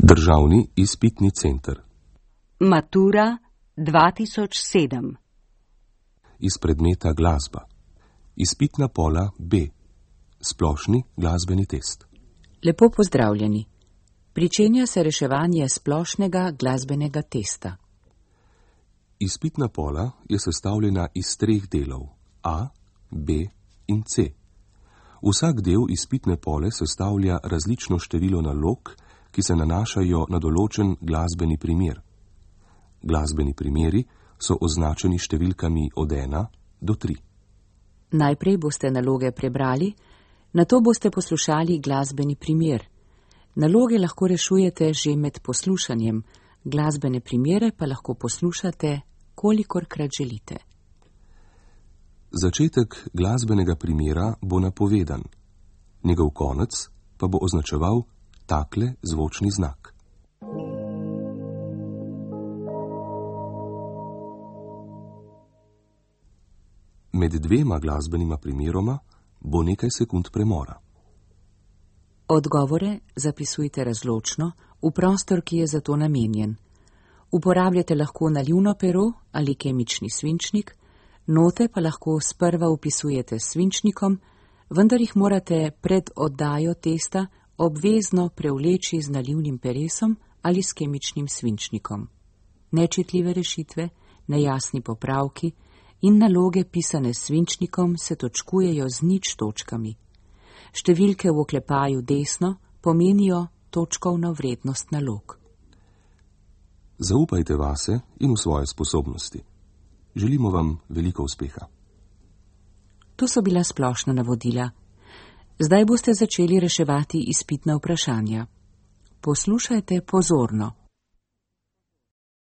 Državni izpitni center. Matura 2007. Iz predmeta glasba. Izpitna pola B. Splošni glasbeni test. Lepo pozdravljeni. Pričenja se reševanje splošnega glasbenega testa. Izpitna pola je sestavljena iz 3 delov A, B in C. Vsak del izpitne pole sestavlja različno število nalog, ki se nanašajo na določen glasbeni primer. Glasbeni primeri so označeni številkami od 1 do 3. Najprej boste naloge prebrali, nato boste poslušali glasbeni primer. Naloge lahko rešujete že med poslušanjem, glasbene primere pa lahko poslušate, kolikorkrat želite. Začetek glasbenega primera bo napovedan, njegov konec pa bo označeval takle zvočni znak. Med 2 glasbenima primeroma bo nekaj sekund premora. Odgovore zapisujte razločno v prostor, ki je za to namenjen. Uporabljate lahko nalivno pero ali kemični svinčnik, note pa lahko sprva vpisujete s svinčnikom, vendar jih morate pred oddajo testa obvezno prevleči z nalivnim peresom ali s kemičnim svinčnikom. Nečitljive rešitve, nejasni popravki in naloge pisane s svinčnikom se točkujejo z 0 točkami. Številke v oklepaju desno pomenijo točkovno vrednost nalog. Zaupajte vase in v svoje sposobnosti. Želimo vam veliko uspeha. To so bila splošna navodila. Zdaj boste začeli reševati izpitna vprašanja. Poslušajte pozorno.